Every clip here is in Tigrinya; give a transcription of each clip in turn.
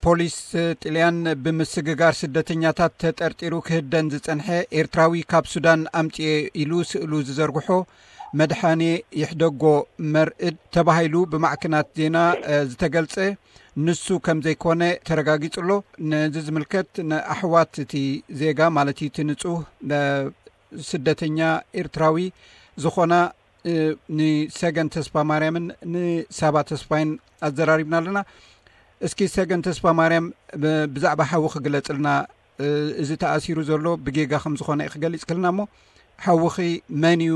ፖሊስ ጥልያን ብምስግጋር ስደተኛታት ተጠርጢሩ ክህደን ዝጸንሐ ኤርትራዊ ካብ ሱዳን ኣምጽኤ ኢሉ ስእሉ ዝዘርግሖ መድሓኔ ይሕደጎ መርእድ ተባሂሉ ብማዕከናት ዜና ዝተገልጸ ንሱ ከም ዘይኮነ ተረጋጊጹ ኣሎ። ነዚ ዝምልከት ንኣሕዋት እቲ ዜጋ ማለት እቲ ንጹህ ስደተኛ ኤርትራዊ ዝኾና ንሰገን ተስፋ ማርያምን ንሳባ ተስፋይን ኣዘራሪብና ኣለና። እስኪ ሰገን ተስፋ ማርያም ብዛዕባ ሓዊ ክግለጽልና፣ እዚ ተኣሲሩ ዘሎ ብጌጋ ከም ዝኾነ ክገልጽ ክልና እሞ፣ ሓውኺ መን እዩ?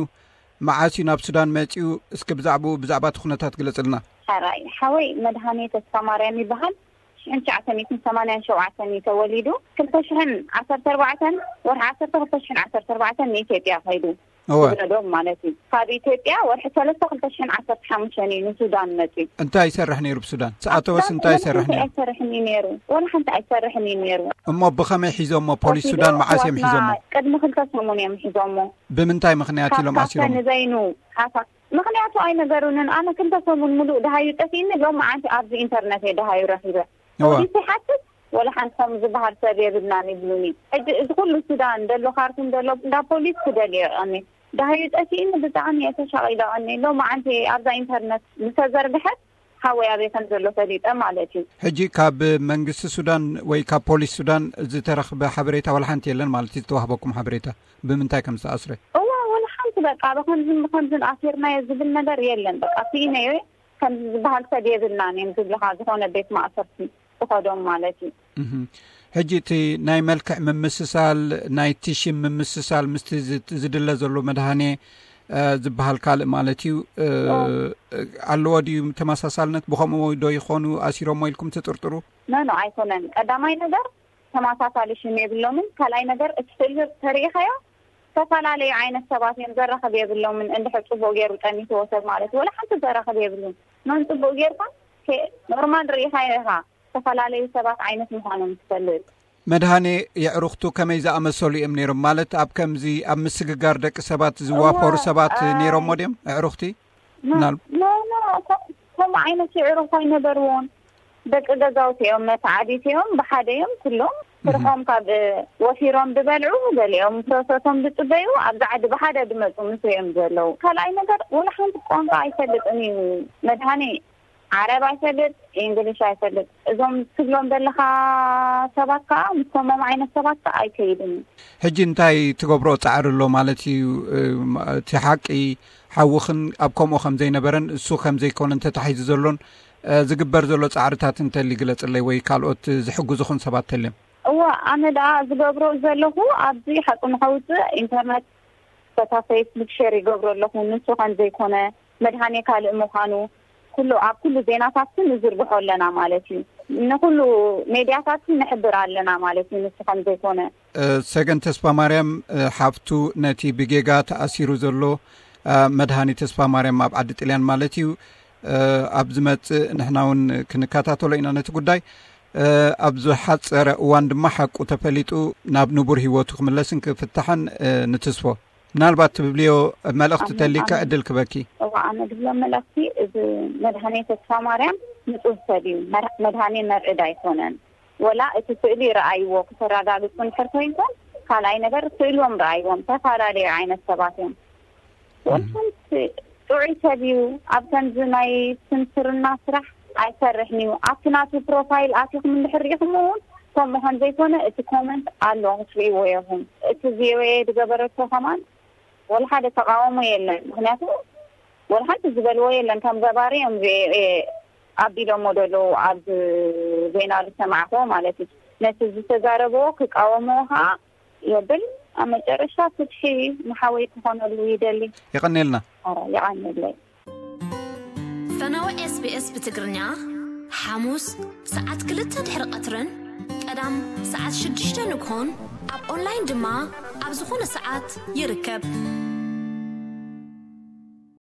መዓስ እዩ ናብ ሱዳን መጺኡ? እስኪ ብዛዕባኡ፣ ብዛዕባ እቲ ኩነታት ግለጽልና። ሓራይ ሓወይ መድሃኔ ተስፋ ማርያም ይበሃል። ሽሕን ትሽዓተ ሚእትን ሰማንያን ሸውዓተን እዩ ተወሊዱ። ክልተ ሽሕን ዓሰርተ ኣርባዕተን ወርሒ ዓሰርተ ክልተ ሽሕን ዓሰርተ ኣርባዕተን ንኢትዮጵያ ከይዱ። እወ። ዝወለዶም ማለት እዩ። ካብ ኢትዮጵያ ወርሒ ሰለስተ ክልተ ሽሕን ዓሰርተ ሓሙሽተን እዩ ንሱዳን መጺኡ። እንታይ ይሰርሕ ነይሩ ብሱዳን? ሰኣተወስ እንታይ ይሰርሕ ነይሩ? ኣይሰርሕን እዩ ነይሩ። ወላ ሓንቲ ኣይሰርሕን እዩ ነይሩ። እሞ ብኸመይ ሒዞሞ? ፖሊስ ሱዳን መዓስ እዮም ሒዞሞ? ቅድሚ ክልተ ሰሙን እዮም ሒዞሞ። ብምንታይ ምኽንያት ኢሎም ኣሲሮሞ? ንዘይኑ ሓሳ ምኽንያቱ ኣይነገሩንን። ኣነ ክልተ ሰሙን ሙሉእ ደሃዩ ጠፊእኒ። ሎም መዓንቲ ኣብዚ ኢንተርነት እየ ደሃዩ ረኺበ። እወ። ፖሊስ ይሓትት ወላ ሓንቲ ከም ዝበሃል ሰብ የብልናን ይብሉኒ። ሕጂ እዚ ኩሉ ሱዳን ደሎ፣ ካርቱም ደሎ እንዳ ፖሊስ ክደልዮ ቀኒ። ደሃዩ ጠፊእኒ ብጣዕሚ እየ ተሻቒለ ቀኒ። ሎም መዓንቲ ኣብዛ ኢንተርነት ዝተዘርግሐት ሓወይ ኣበይ ከም ዘሎ ፈሊጠ ማለት እዩ። ሕጂ ካብ መንግስቲ ሱዳን ወይ ካብ ፖሊስ ሱዳን ዝተረኽበ ሓበሬታ ወላ ሓንቲ የለን ማለት እዩ? ዝተዋህበኩም ሓበሬታ ብምንታይ ከም ዝተኣስረ? እዋ ወላ ሓንቲ በቃ ብኸምዝን ብኸምዝን ኣሲርናዮ ዝብል ነገር የለን። በቃ ስኢነዮ ከም ዝበሃል ሰብ የብልናን እዮም ዝብልኻ ዝኾነ ቤት ማእሰርቲ ዝኸዶም ማለት እዩ። እህ። ሕጂ እቲ ናይ መልክዕ ምምስሳል፣ ናይቲ ሽም ምምስሳል ምስቲ ዝ-፣ ዝድለ ዘሎ መድሃኔ ዝበሃል ካልእ ማለት እዩ። ኣለዎ ድዩ ተመሳሳልነት? ብኸምኡ ዶ ይኾኑ ኣሲሮሞ ኢልኩም ትጥርጥሩ? ኖ ኖ ኣይኮነን። ቀዳማይ ነገር ተመሳሳሊ ሽም የብሎምን። ካልኣይ ነገር እቲ ስእሊ ተሪኢኻዮ ዝተፈላለዩ ዓይነት ሰባት እዮም ዘራኽብ የብሎምን። እንድሕር ጽቡቕ ገይሩ ጠሚትዎ ሰብ ማለት ወላ ሓንቲ ዘራኽብ የብሉን። መን ጽቡቕ ጌርካ ኖርማል ርኢኻዮ ኢኻ። ዝተፈላለዩ ሰባት ዓይነት ምዃኖም ትፈልጥ። መድሃኔ የዕሩኽቱ ከመይ ዝኣመሰሉ እዮም ነይሮም? ማለት ኣብ ከምዚ ኣብ ምስግጋር ደቂ ሰባት ዝዋፈሩ ሰባት ነይሮሞ ድዮም? ኣዕሩኽቲ? ኖ፣ ምናል- ኖ፣ ኖ፣ ኮ-፣ ከምኡ ዓይነት የዕሩኽ ኣይነበርዎን። ደቂ ገዛውቲ እዮም፣ መተዓቢቲ እዮም፣ ብሓደ እዮም ኩሎም። ስርሖም ካብ ወፊሮም ዝበልዑ፣ ገሊኦም ፕሮሰሶም ዝጽበዩ፣ ኣብዚ ዓዲ ብሓደ ዝመጹ ምስ እዮም ዘለዉ። ካልኣይ ነገር፣ ወላ ሓንቲ ቋንቋ ኣይፈልጥን እዩ መድሃኔ። ዓረብ ኣይፈልጥ፣ እንግሊሽ ኣይፈልጥ። እዞም ትብሎም ዘለኻ ሰባት ከኣ፣ ምስ ከምኦም ዓይነት ሰባት ከኣ ኣይከይድን እዩ። ሕጂ እንታይ ትገብሮ ጻዕሪ ኣሎ ማለት እዩ? እቲ ሓቂ ሓውኽን ኣብ ከምኡ ከም ዘይነበረን እሱ ከም ዘይኮነን ተታሒዙ ዘሎን፣ እ፣ ዝግበር ዘሎ ጻዕርታት እንተሊ ግለጽለይ ወይ ካልኦት ዝሕግዙኽን ሰባት ተልዮም። እዋ፣ ኣነ ደኣ ዝገብሮ ዘለኹ ኣብዚ ሓቂ ንኸውጽእ ኢንተርነት በታ ፌስቡክ ሼር ይገብሮ ኣለኹ። ንሱ ከም ዘይኮነ፣ መድሃኔ ካልእ ምዃኑ ኩሉ ኣብ ኩሉ ዜናታት ንዝርግሖ ኣለና ማለት እዩ። ንኩሉ ሜድያታት ንሕብር ኣለና ማለት እዩ፣ ንሱ ከም ዘይኮነ። እ፣ ሰገን ተስፋ ማርያም፣ እ፣ ሓፍቱ ነቲ ብጌጋ ተኣሲሩ ዘሎ፣ እ፣ መድሃኔ ተስፋ ማርያም ኣብ ዓዲ ጥልያን ማለት እዩ፣ እ፣ ኣብ ዝመጽእ ንሕና እውን ክንከታተሎ ኢና ነቲ ጉዳይ። እ፣ ኣብ ዝሓጸረ እዋን ድማ ሓቁ ተፈሊጡ ናብ ንቡር ህይወቱ ክምለስን ክፍታሕን፣ እ፣ ንትስፎ። ምናልባት ትብልዮ መልእኽቲ ኣሜን፣ ተሊካ ኣሜን። ዕድል ክበኪ። እዋ፣ ኣነ ዝብሎ መልእኽቲ፣ እዚ መድሃኔ ተስፋ ማርያም ንጹህ ሰብ እዩ። መር-፣ መድሃኔ መርዕድ ኣይኮነን። ወላ እቲ ስእሊ ረኣይዎ ክተረጋግጹ እንድሕር ኮይንኩም፣ ካልኣይ ነገር ስእሎም ረኣይዎም፣ ተፈላለዩ ዓይነት ሰባት እዮም። እህ። ወልሓንቲ ጥዑይ ሰብ እዩ። ኣብ ከምዚ ናይ ስንስርና ስራሕ ኣይሰርሕን እዩ። ኣብቲ ናቱ ፕሮፋይል ኣቲኹም እንድሕር ርኢኹም እውን ከምኡ ከም ዘይኮነ እቲ ኮመንት ኣሎ ክትርእይዎ ኢኹም። እቲ ቪኦኤ ዝገበረቶ ከማን ወላ ሓደ ተቃውሞ የለን። ምኽንያቱ ወላ ሓንቲ ዝበልዎ የለን። ከም ገባሪ እዮም ቪኦኤ ኣቢሎሞ ዘለዉ ኣብ ዜና ዝሰማዕክዎ ማለት እዩ። ነቲ ዝተዛረብዎ ክቃወምዎ ከዓ የብል። ኣብ መጨረሻ ፍትሒ ንሓወይ ክኾነሉ ይደሊ። የቐንየልና። ኧረ የቐንየለይ። ፈነወ ኤስቢኤስ ብትግርኛ ሓሙስ ሰዓት ክልተ ድሕሪ ቀትርን ቀዳም ሰዓት ሽዱሽተ ንግሆን ኣብ ኦንላይን ድማ ኣብ ዝኾነ ሰዓት ይርከብ።